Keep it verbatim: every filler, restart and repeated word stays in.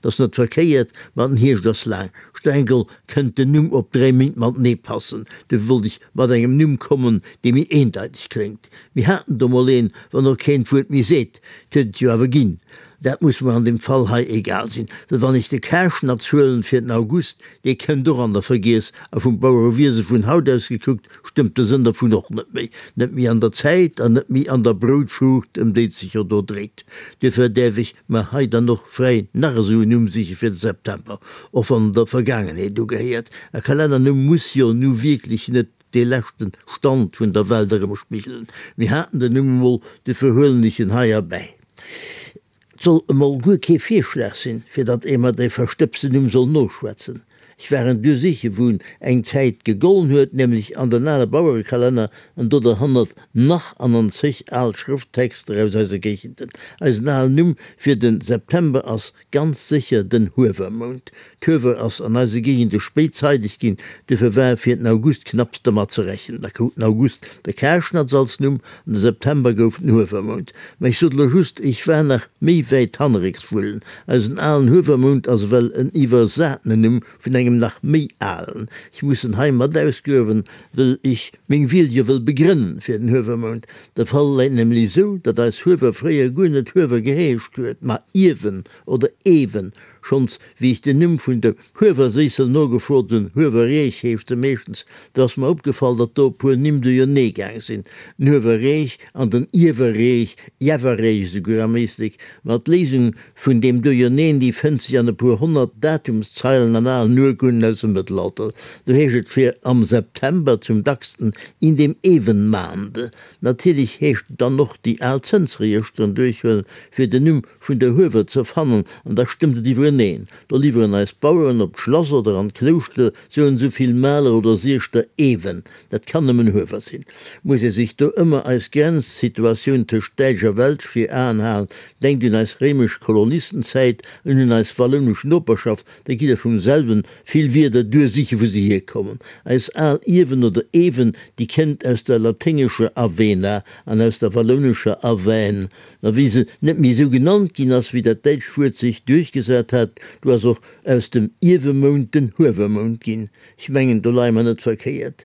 't ass net verkéiert, ma den Hierscht ass laang. Streng geholl kënnt den Numm op dräi Méint matenee passen. Dofir wollt ech mat engem Numm kommen, dee méi eendeiteg kléngt. Mir haten do mol een, wann och keen d'Wuert méi seet. 't huet et jo awer ginn. Dat muss mer an deem Fall hei egal sinn, well wann ech de Karschnatz huelen fir den August, dee kënnt och an der Vergiess, a vum Bauerewiese vun haut aus gekuckt, stëmmt de Sënn dervun och net méi, net méi an der Zäit an net méi an der Broutfruucht, ëm déi et sech jo do dréit. Duerfir däerf ech mer hei dann och fräi nach esou en Numm siche fir de September, och wann en der Vergaangenheet ugehéiert. E Kalennernumm muss jo nu wierklech net dee leschten Stand vun der Welt erëmspigelen. Mir haten den Numm emol, duerfir huelen ech en hei erbäi. 't soll emol guer kee Virschlag sinn, fir datt ee mer dee verstëbsten Numm soll noschwätzen. Ech war en duer siche wou en eng Zäit gegollen huet, nämlech an den ale Bauerekalenner an do derhannert nach an an zeg al Schrëfttexter aus eise Géigenden. Eisen alen Numm fir de September ass ganz sécher den Huewermount. D'Huewer ass an eise Géigende spéit zeideg ginn, duerfir war fir den August knapps dermat ze rechnen. Da krut den August de Karschnatz als Numm an de September gouf den Huewermount. Mä ech sot elo just, ech war nach méi wäit hannerrécks wullen. Eisen alen Huewermount ass ewell en iwwersatene Numm vun engem nach méi alen. Ech muss en hei mat ausgruewen, wëll ech meng Wiel jo wëll begrënnen fir den Huewermount. De Fall läit nämlech esou, datt eis Huewer fréier guer net Huewer geheescht huet, ma Iewen oder Ewen. Schonns wéi ech den Numm vun dem Huewerséissel nogefrot hunn, Huewerreech heescht se meeschtens, do ass mer opgefall, datt do e puer Nimm duerjernee gaang sinn, den Huewerreech an den Iewerreech, Jewerreech esouguer am Éislek. Ma d'Léisung vun deem Duerjerneen, déi fënnt sech an e puer honnert Datumszeilen an alen Urkunden aus dem Mëttelalter. Do heescht et fir am September zum dacksten in dem Ewenmaande. Natierlech heescht et dann och déi al Zënsregëschteren duerchhuelen, fir den Numm vun der Huewer ze fannen, an da stëmmt et iwwereneen. Do liwweren eis Baueren op d'Schlass oder an d'Klouschter sou an sou vill Maler oder Sieschter Ewen. Dat kann nëmmen Huewer sinn. Muss ee sech do ëmmer eis Grenzsituatioun tëscht Däitsch a Welsch vir Aen halen, denkt un eis réimesch Kolonistenzäit an un eis wallounesch Noperschaft, da gitt der vum selwen vill Wierder duer siche wou se hierkommen. Eis al Iewen oder Ewen, déi kënnt aus der laténgescher avena an aus der wallounescher aven. Ma wéi se net méi esou genannt ginn ass, wéi dat däitscht Wuert sech duerchgesat hat, du ass och aus dem Iewemount den Huewermount ginn. Ech mengen, do leie mer net verkéiert.